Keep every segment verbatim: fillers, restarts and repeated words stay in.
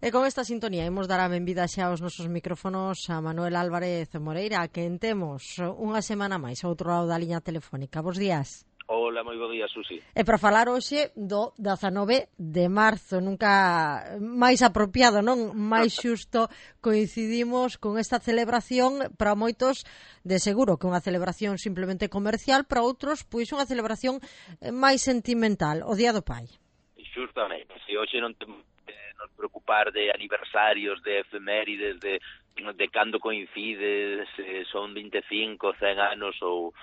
E con esta sintonía imos dar a benvida xa aos nosos micrófonos a Manuel Álvarez Moreira, que temos unha semana máis ao outro lado da liña telefónica. Bos días. Hola, moi bo día, Susi. E para falar hoxe do dezanove de marzo, nunca máis apropiado, non? Máis xusto coincidimos con esta celebración para moitos de seguro que unha celebración simplemente comercial, para outros, pois unha celebración máis sentimental, o Día do Pai. Xustamente, se hoxe non temos que nos preocupar de aniversarios, de efemérides, de, de cando coincide, se son vinte e cinco, cen anos ou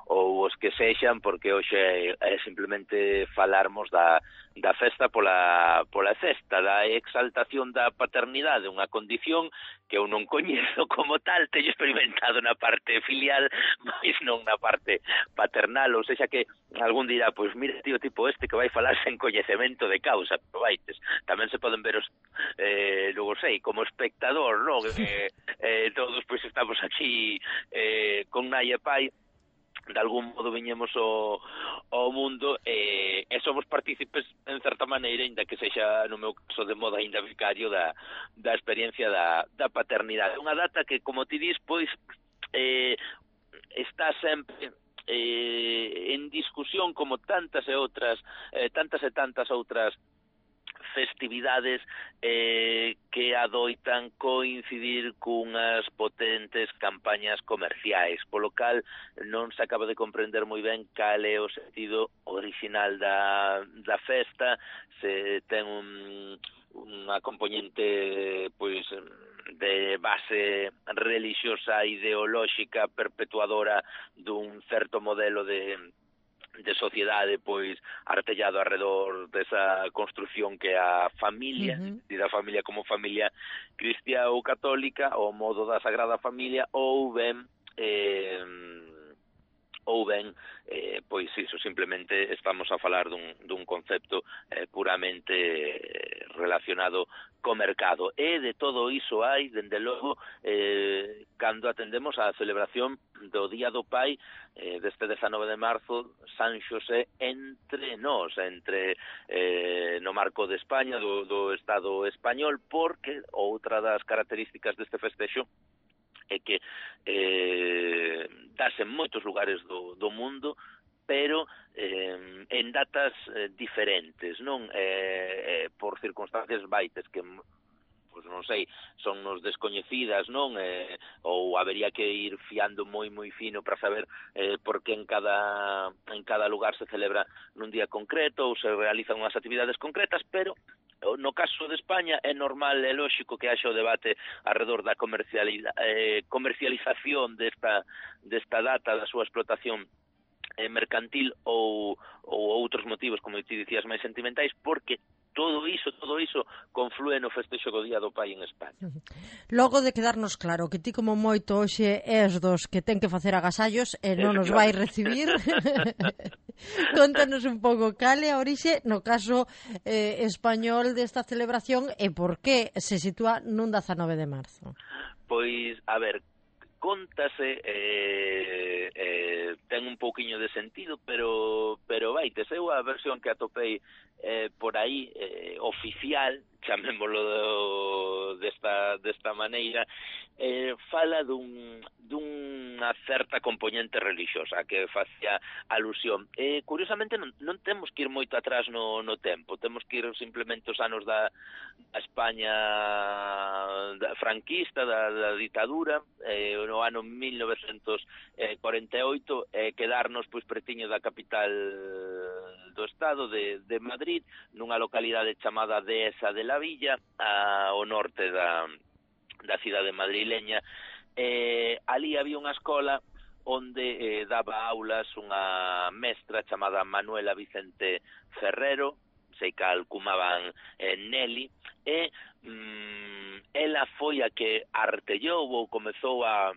ou os que sexan, porque hoxe é, é simplemente falarmos da, da festa pola, pola festa, da exaltación da paternidade, unha condición que eu non coñezo como tal, teño experimentado na parte filial, mas non na parte paternal, ou seja que algún dirá, pois mira, tío, tipo este que vai falar sen coñecemento de causa, pero vaites, tamén se poden ver os, eh, logo sei, como espectador, non? Eh, eh, todos pois estamos aquí eh, con nai e pai, de algún modo viñemos ao, ao mundo e, e somos partícipes en certa maneira, ainda que sexa no meu caso de modo ainda vicario da, da experiencia da, da paternidade. Unha data que, como ti dis, pois eh, está sempre eh, en discusión como tantas e outras eh, tantas e tantas outras festividades eh, que adoitan coincidir cunhas potentes campañas comerciais, polo cal non se acaba de comprender moi ben cal é o sentido original da, da festa, se ten un, unha componente pois de base religiosa, ideolóxica, perpetuadora dun certo modelo de de sociedade, pois, artellado arredor desa construción que é a familia, uh-huh. e da familia como familia cristiá ou católica, o modo da Sagrada Familia, ou ben, eh, ou ben, eh, pois iso, simplemente estamos a falar dun, dun concepto eh, puramente relacionado co mercado. E de todo iso hai, dende logo, eh, cando atendemos a celebración do Día do Pai, eh, deste dezanove de marzo, San Xosé entre nós, entre eh, no marco de España, do, do Estado español, porque outra das características deste festexo é que eh, dase en moitos lugares do, do mundo, pero eh, en datas eh, diferentes, non? Eh, eh, por circunstancias baites que, pois non sei, son nos descoñecidas, non? Eh, ou habería que ir fiando moi moi fino para saber eh, por que en cada en cada lugar se celebra nun día concreto ou se realizan unhas actividades concretas, pero no caso de España é normal e lóxico que haxa o debate alrededor da eh, comercialización desta, desta data, da súa explotación eh, mercantil ou, ou outros motivos, como ti dicías, máis sentimentais, porque todo iso, todo iso conflúe no festexo do Día do Pai en España. Logo de quedarnos claro que ti como moito hoxe és dos que ten que facer agasallos e non nos vai recibir, contanos un pouco cal é a orixe no caso eh, español desta celebración e por que se sitúa nun dezanove de marzo. Pois, a ver, contase, eh, eh, ten un pouquiño de sentido, pero pero vai, te sei a versión que atopei eh, por aí, eh, oficial, chamémolo do, desta, desta maneira, eh, fala dun, dunha certa componente religiosa que facía alusión. Eh, curiosamente non, non temos que ir moito atrás no, no tempo, temos que ir simplemente os anos da, da España da franquista, da, da ditadura, eh, no ano mil novecentos cuarenta e oito, eh, quedarnos pois pretiño da capital do estado de, de Madrid, nunha localidade chamada Dehesa de la Villa, ao norte da, da cidade madrileña. Eh, ali había unha escola onde eh, daba aulas unha mestra chamada Manuela Vicente Ferrero, sei que alcumaban eh, Nelly, e mm, ela foi a que artellou ou comezou a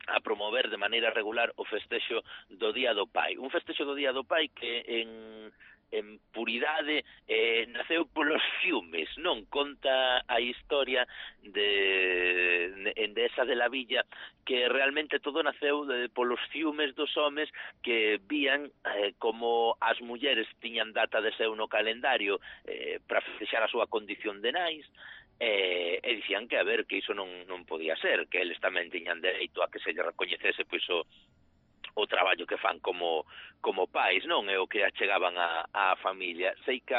a promover de maneira regular o festexo do Día do Pai. Un festexo do Día do Pai que en, en puridade eh, naceu polos fiumes, non? Conta a historia de, de esa de la Villa, que realmente todo naceu de, polos fiumes dos homes que vían eh, como as mulleres tiñan data de seu no calendario eh, para festexar a súa condición de nais, e, e dicían que, a ver, que iso non, non podía ser, que eles tamén tiñan dereito a que se lle recoñecese pois o, o traballo que fan como, como pais, non? E o que achegaban a, a familia. Sei que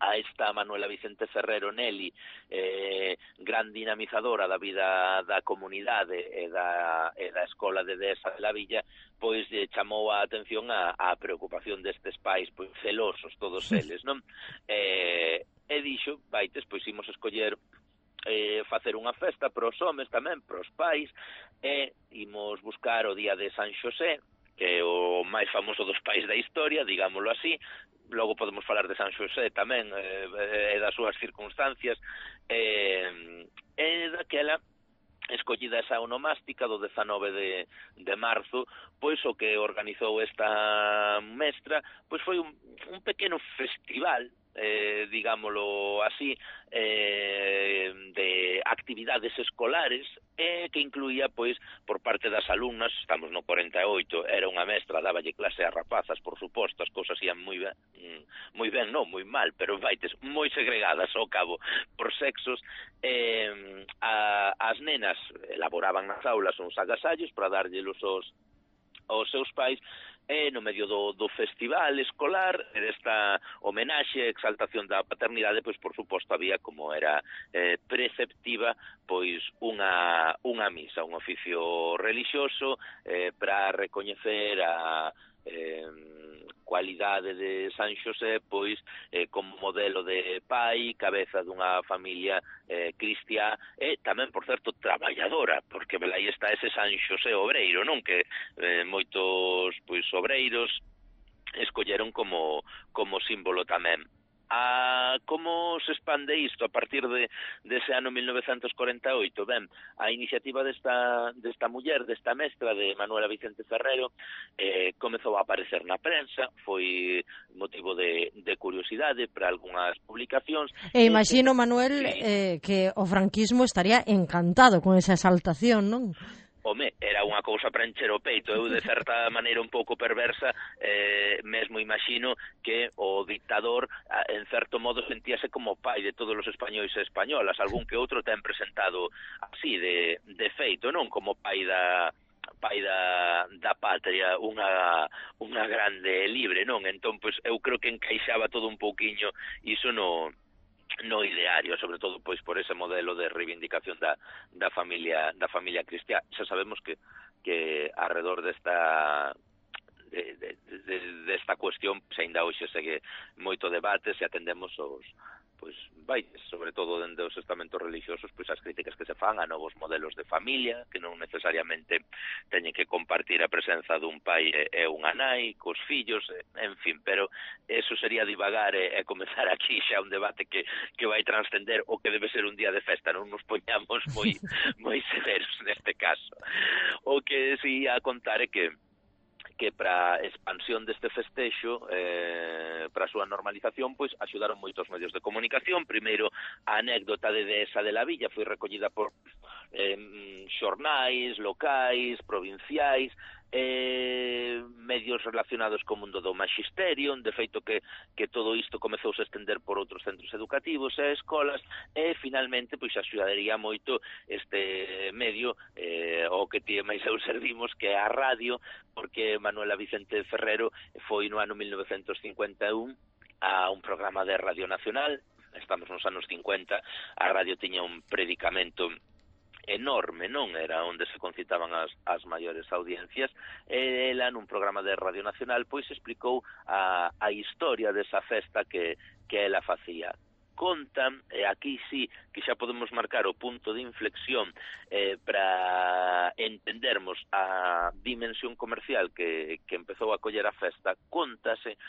a esta Manuela Vicente Ferrero Nelly, eh, gran dinamizadora da vida da comunidade e da, e da escola de Dehesa de la Villa, pois eh, chamou a atención a, a preocupación destes pais pois celosos todos eles, non? E, e dixo, vaites, pois imos escoller eh, facer unha festa para os homes tamén, para os pais, e imos buscar o día de San Xosé, que é o máis famoso dos pais da historia, digámoslo así. Logo podemos falar de San Xosé tamén, e eh, das súas circunstancias, e eh, daquela escollida esa onomástica do dezanove de, de marzo, pois o que organizou esta mestra pois foi un, un pequeno festival, eh, digámoslo así, eh, de actividades escolares, eh, que incluía, pois, por parte das alumnas, estamos no cuarenta e oito, era unha mestra, dáballe clase a rapazas, por suposto, as cousas ian moi ben, moi ben, non, moi mal, pero vaites, moi segregadas ao cabo por sexos. eh, a, as nenas elaboraban nas aulas uns agasallos para darllelos aos, aos seus pais, e no medio do, do festival escolar, desta homenaxe e exaltación da paternidade, pois por suposto había, como era eh, preceptiva, pois unha, unha misa, un oficio religioso eh, para recoñecer a eh, cualidade de San Xosé, pois eh, como modelo de pai, cabeza dunha familia eh, cristiá, e tamén, por certo, traballadora, porque aí está ese San Xosé obreiro, non? Que eh, moitos pois obreiros escolleron como, como símbolo tamén. A como se expande isto a partir de dese ano mil novecentos cuarenta e oito? Ben, a iniciativa desta, desta muller, desta mestra de Manuela Vicente Ferrero, eh, comezou a aparecer na prensa, foi motivo de, de curiosidade para algunhas publicacións. E imagino, Manuel, eh, que o franquismo estaría encantado con esa exaltación, non? Home, era unha cousa para encher o peito. Eu, de certa maneira un pouco perversa, eh, mesmo imagino que o dictador, en certo modo, sentíase como pai de todos os españois e españolas. Algún que outro ten presentado así, de, de feito, non? Como pai da pai da, da patria, unha, unha grande libre, non? Entón, pois, eu creo que encaixaba todo un pouquiño iso no... no ideario, sobre todo pois por ese modelo de reivindicación da, da familia da familia cristiá. Xa sabemos que que alrededor desta de, de, de, desta cuestión pois aínda hoxe segue moito debate se atendemos os pois vai, sobre todo dende os estamentos religiosos, pois as críticas que se fan a novos modelos de familia, que non necesariamente teñen que compartir a presenza dun pai e unha nai, cos fillos, en fin, pero eso sería divagar e, e comezar aquí xa un debate que, que vai transcender o que debe ser un día de festa, non nos poñamos moi, moi severos neste caso. O que si a contar é que que para a expansión deste festexo, eh, para a súa normalización, pois axudaron moitos medios de comunicación. Primeiro, a anécdota de Dehesa de la Villa foi recollida por eh, xornais locais, provinciais, eh, medios relacionados co mundo do maxisterio. De feito que, que todo isto comezouse a estender por outros centros educativos e escolas, e finalmente pois axudaría moito este medio eh, o que ti máis eu servimos, que é a radio, porque Manuela Vicente Ferrero foi no ano mil novecentos cincuenta e un a un programa de Radio Nacional. Estamos nos anos cincuenta, a radio tiña un predicamento enorme, non? Era onde se concitaban as, as maiores audiencias, e ela nun programa de Radio Nacional pois explicou a, a historia desa festa que, que ela facía. Contan, e aquí sí que xa podemos marcar o punto de inflexión eh, para entendermos a dimensión comercial que, que empezou a coller a festa. Contase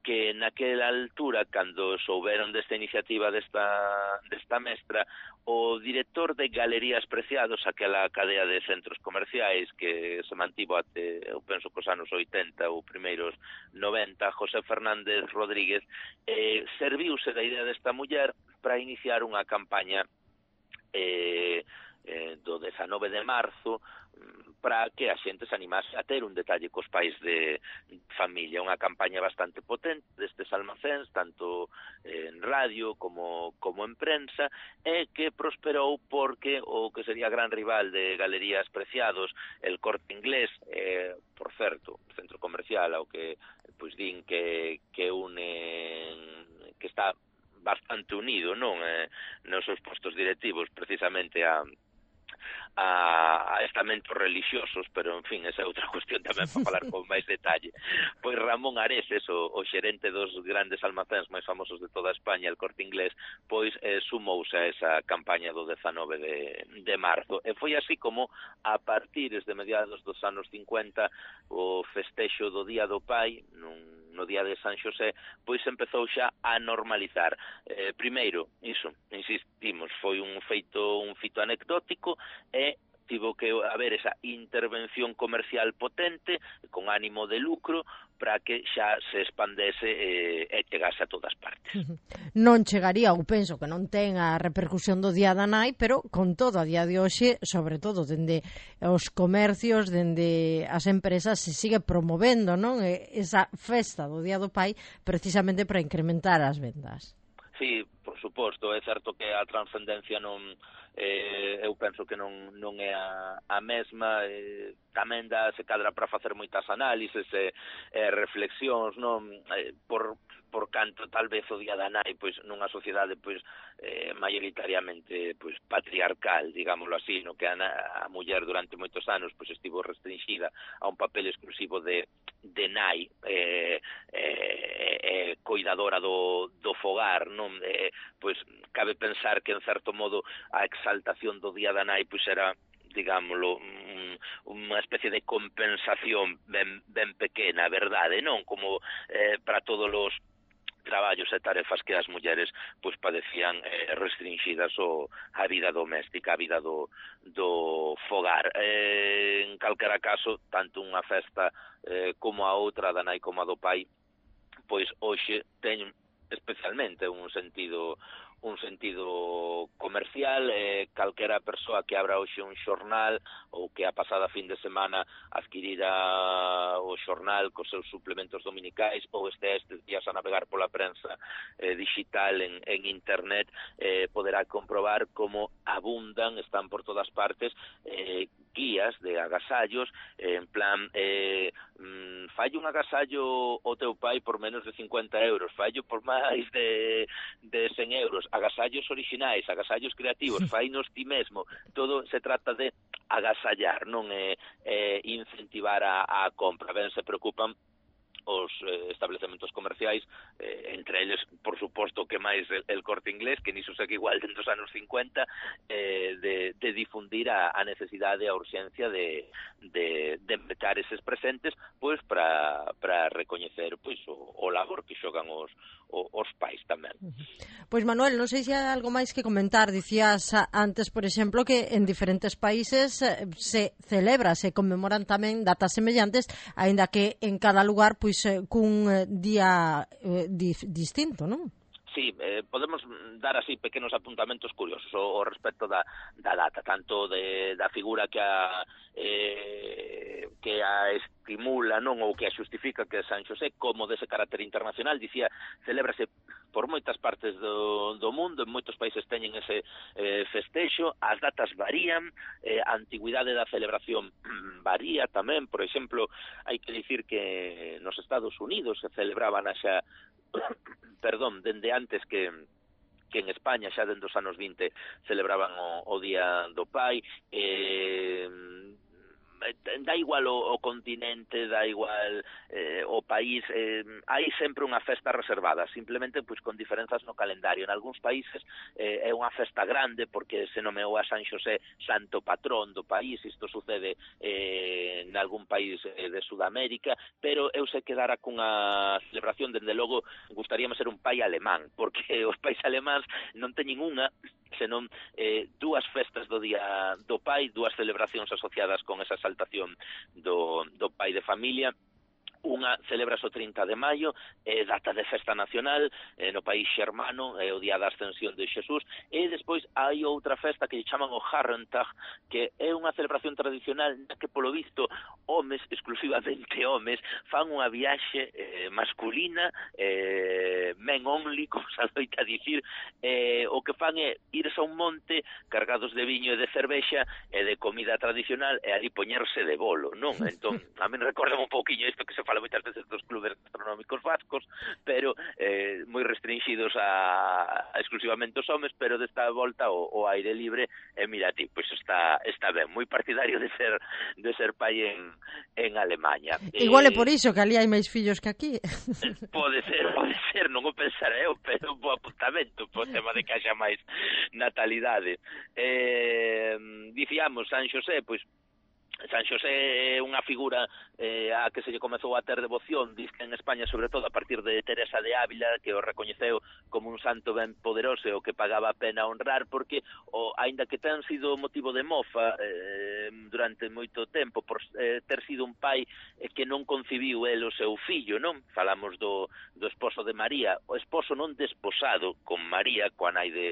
que naquela altura, cando souberon desta iniciativa desta, desta mestra, o director de Galerías Preciados, aquela cadea de centros comerciais que se mantivo até, eu penso que os anos oitenta ou primeiros noventa, José Fernández Rodríguez, eh, serviuse da idea desta muller para iniciar unha campaña eh, eh, do dezanove de marzo para que a xente se animase a ter un detalle cos pais de familia. Unha campaña bastante potente destes almacéns, tanto en radio como, como en prensa, e que prosperou porque o que sería gran rival de Galerías Preciados, el Corte Inglés, eh, por certo, centro comercial ao que pois din que, que une, que está bastante unido, non, eh, nos seus postos directivos, precisamente a a, a estamentos religiosos, pero, en fin, esa é outra cuestión tamén para falar con máis detalle. Pois Ramón Areses, o, o xerente dos grandes almacéns máis famosos de toda España, el Corte Inglés, pois eh, sumouse a esa campaña do dezanove de, de marzo. E foi así como, a partir de mediados dos anos cincuenta, o festexo do Día do Pai, nun no día de San Xosé, pois empezou xa a normalizar. Eh, primeiro, iso, insistimos, foi un feito, un fito anecdótico e tivo que haber esa intervención comercial potente, con ánimo de lucro, para que xa se expandese eh, e chegase a todas partes. Non chegaría, ou penso que non ten a repercusión do Día da Nai, pero con todo a día de hoxe, sobre todo dende os comercios, dende as empresas, se sigue promovendo, non, esa festa do Día do Pai, precisamente para incrementar as vendas. Sí, por suposto, é certo que a transcendencia non, eh, eu penso que non, non é a, a mesma, eh, tamén dá se cadra para facer moitas análises e eh, reflexións, non, eh, por por canto tal vez o Día da Nai, pois nunha sociedade pois eh, maioritariamente pois patriarcal, digámoslo así, no que a, a muller durante moitos anos pois estivo restringida a un papel exclusivo de de nai, eh, eh, eh, coidadora do, do fogar, non? Eh, pois cabe pensar que en certo modo a exaltación do Día da Nai pois era, digámoslo, un, unha especie de compensación ben, ben pequena, verdade, non? Como eh, para todos os traballos e tarefas que as mulleres pois padecían eh, restringidas o a vida doméstica, a vida do, do fogar. Eh, en calquera caso, tanto unha festa eh, como a outra, da nai como a do pai, pois hoxe teñen especialmente un sentido un sentido comercial. Eh, calquera persoa que abra hoxe un xornal ou que a pasada fin de semana adquirira o xornal cos seus suplementos dominicais ou este estes días a navegar pola prensa eh, digital en, en internet, eh, poderá comprobar como abundan, están por todas partes, eh, guías de agasallos, eh, en plan, eh, mm, fallo un agasallo o teu pai por menos de cincuenta euros, fallo por máis de, de cen euros, agasallos orixinais, agasallos creativos, fainos ti mesmo, todo se trata de agasallar, non é, é incentivar a, a compra. Ben, se preocupan os eh, establecementos comerciais, eh, entre eles, por suposto, que máis el, el Corte Inglés, que niso segue igual dentro dos anos cincuenta, eh, de, de difundir a, a necesidade, a urxencia de, de, de empezar eses presentes, pois, para para recoñecer pois o, o labor que xogan os, os, os pais tamén. Pois, Manuel, non sei se hai algo máis que comentar. Dicías antes, por exemplo, que en diferentes países se celebra, se conmemoran tamén datas semellantes, aínda que en cada lugar, pois, cun día eh, di, distinto, non? Sí, eh, podemos dar así pequenos apuntamentos curiosos ao, ao respecto da, da data, tanto de, da figura que a eh, que a estimula, non, ou que a xustifica, que é San Xosé, como dese carácter internacional. Dicía, celébrase por moitas partes do, do mundo, en moitos países teñen ese eh, festexo, as datas varían, eh, a antigüidade da celebración varía tamén. Por exemplo, hai que dicir que nos Estados Unidos se celebraban xa perdón, dende antes que que en España, xa dende os anos vinte, celebraban o, o Día do Pai. eh, dá igual o, o continente, dá igual eh, o país, eh, hai sempre unha festa reservada, simplemente pois con diferenzas no calendario. En algúns países eh, é unha festa grande porque se nomeou a San Xosé santo patrón do país. Isto sucede eh, en algún país eh, de Sudamérica, pero eu se quedara cunha celebración, dende logo gustaríame ser un pai alemán, porque os pais alemáns non teñen unha, senón eh, dúas festas do Día do Pai, dúas celebracións asociadas con esa exaltación do, do pai de familia. unha celebras o trinta de maio, é data de festa nacional eh, no país xermano, é o día da ascensión de Xesús, e despois hai outra festa que lle chaman o Herrentag, que é unha celebración tradicional na que polo visto homes, exclusivamente homes, fan unha viaxe eh, masculina, eh, men only, como se adoita a dicir, eh, o que fan é irse a un monte cargados de viño e de cervexa e de comida tradicional e ali poñerse de bolo, non? Entón, a mí recorda un pouquiño isto que se fala moitas veces dos clubes gastronómicos vascos, pero eh, moi restringidos a, a exclusivamente os homes, pero desta volta o, o aire libre, e mira ti, pois pues está está ben, moi partidario de ser de ser pai en, en Alemaña. Igual eh, é por iso que ali hai máis fillos que aquí. Pode ser, pode ser, non o pensar eu, pero un bo apuntamento po tema de que haxa máis natalidade. Eh, dicíamos, San Xosé, pois San Xosé é unha figura eh, a que se lle comezou a ter devoción, diz que en España, sobre todo, a partir de Teresa de Ávila, que o recoñeceu como un santo ben poderoso e o que pagaba a pena honrar, porque, o, aínda que ten sido motivo de mofa eh, durante moito tempo, por eh, ter sido un pai eh, que non concibiu el o seu fillo, non? Falamos do, do esposo de María, o esposo non desposado con María, coa nai de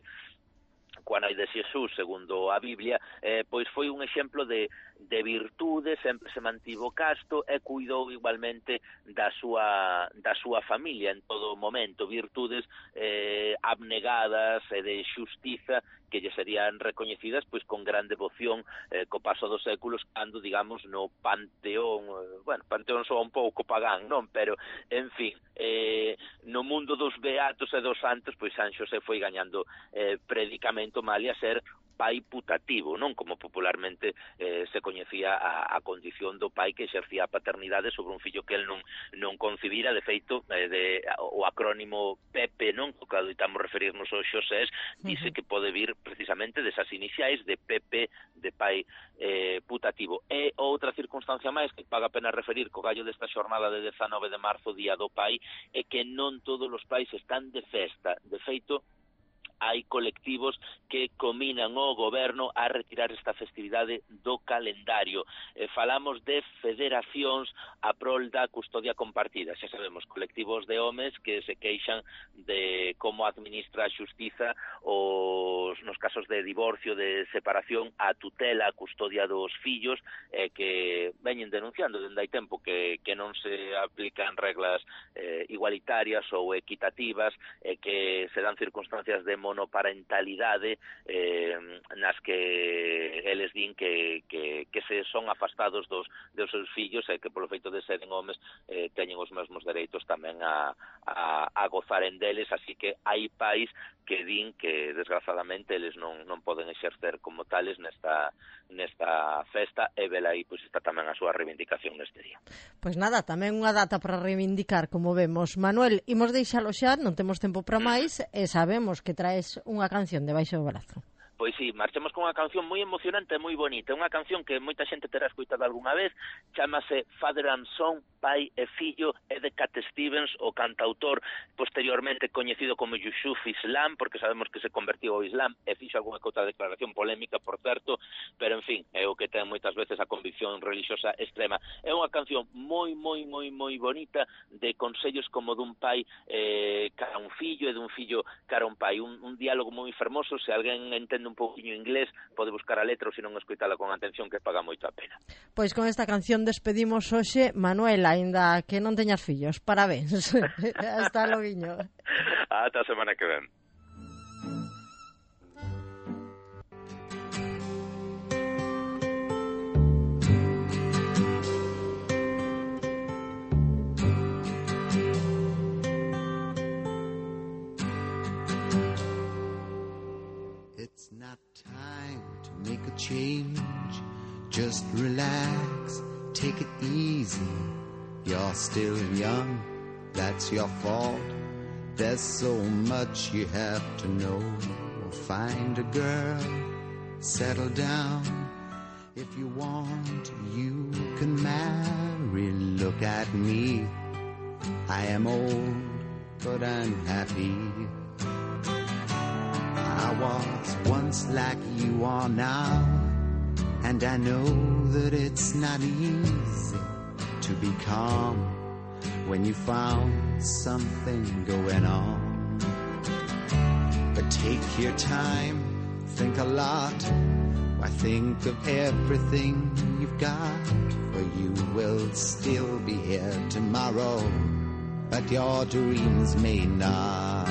coa nai de Xesús, segundo a Biblia, eh, pois foi un exemplo de, de virtude, sempre se mantivo casto e cuidou igualmente da súa, da súa familia en todo momento, virtudes eh, abnegadas e de xustiza que lle serían recoñecidas pois con gran devoción eh, co paso dos séculos, cando, digamos, no panteón, eh, bueno, panteón soa un pouco pagán, non? Pero, en fin, eh, no mundo dos beatos e dos santos, pois San Xosé foi gañando eh, predicamento malia ser pai putativo, non? Como popularmente eh, se coñecía a, a condición do pai que exercía a paternidade sobre un fillo que el non, non concibira. De feito, eh, de, o acrónimo Pepe, non? O que adoitamos referirnos aos Xosés, dice uh-huh. que pode vir precisamente desas iniciais de Pepe, de pai eh, putativo. E outra circunstancia máis que paga a pena referir co gallo desta xornada de dezanove de marzo, Día do Pai, é que non todos os pais están de festa. De feito, hai colectivos que cominan o goberno a retirar esta festividade do calendario. Eh, falamos de federacións a prol da custodia compartida. Xa sabemos, colectivos de homes que se queixan de como administra a xustiza os, nos casos de divorcio, de separación, a tutela, a custodia dos fillos, eh, que veñen denunciando dende hai tempo que, que non se aplican reglas eh, igualitarias ou equitativas, e eh, que se dan circunstancias de monoparentalidade eh, nas que eles din que, que, que se son afastados dos, dos seus fillos e que polo feito de seren homes eh, teñen os mesmos dereitos tamén a, a, a gozaren deles, así que hai pais que din que desgraciadamente eles non, non poden exercer como tales nesta, nesta festa, e vela aí pois está tamén a súa reivindicación neste día. Pois nada, tamén unha data para reivindicar, como vemos. Manuel, imos deixalo xa, non temos tempo para máis, e sabemos que traes unha canción debaixo do brazo. Pois sí, marchemos con unha canción moi emocionante e moi bonita, unha canción que moita xente terá escoitado algunha vez, chamase Father and Son, pai e fillo, é de Cat Stevens, o cantautor posteriormente coñecido como Yusuf Islam, porque sabemos que se convertiu ao Islam e fixo algunha que outra declaración polémica, por certo, pero en fin, é o que ten moitas veces a convicción religiosa extrema. É unha canción moi, moi, moi, moi bonita, de consellos como dun pai eh, cara a un fillo e dun fillo cara a un pai, un, un diálogo moi fermoso. Se alguén entende un pouquinho inglés, pode buscar a letra ou se non escoitala con atención, que paga moito a pena. Pois con esta canción despedimos hoxe. Manuel, aínda que non teñas fillos, parabéns. Hasta loguiño. Ata a semana que ven. It's not time to make a change. Just relax, take it easy. You're still young, that's your fault. There's so much you have to know. Find a girl, settle down. If you want, you can marry. Look at me, I am old, but I'm happy. I was once like you are now, and I know that it's not easy to be calm when you found something going on. But take your time, think a lot. Why think of everything you've got? For you will still be here tomorrow, but your dreams may not.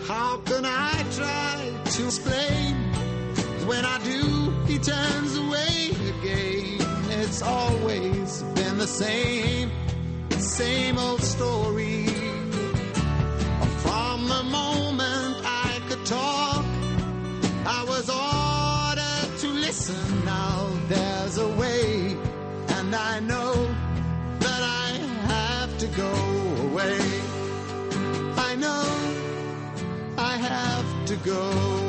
How can I try to explain? When I do, he turns away again. It's always been the same, same old story. From the moment I could talk, I was ordered to listen. Now there's a way, and I know that I have to go away. I know I have to go.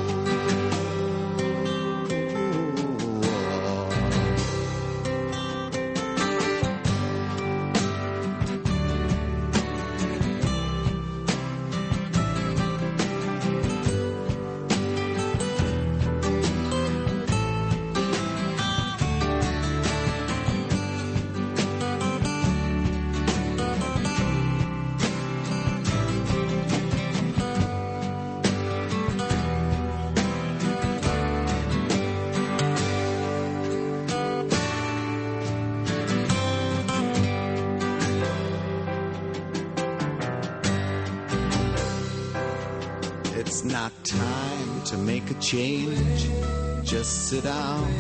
It's not time to make a change. Just sit down,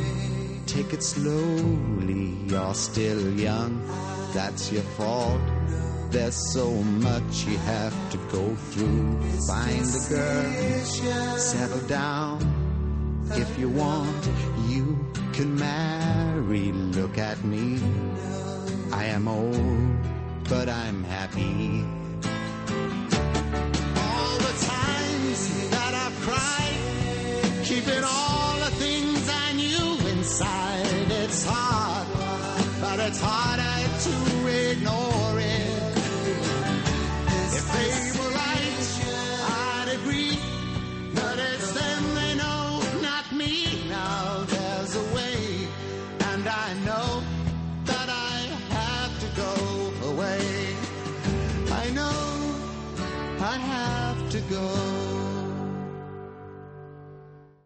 take it slowly. You're still young, that's your fault. There's so much you have to go through. Find a girl, settle down. If you want, you can marry. Look at me, I am old, but I'm happy. That I've cried, keeping all the things I knew inside. It's hard, but it's harder to ignore it. If they were right, I'd agree, but it's them they know, not me. Now there's a way, and I know that I have to go away. I know I have to go.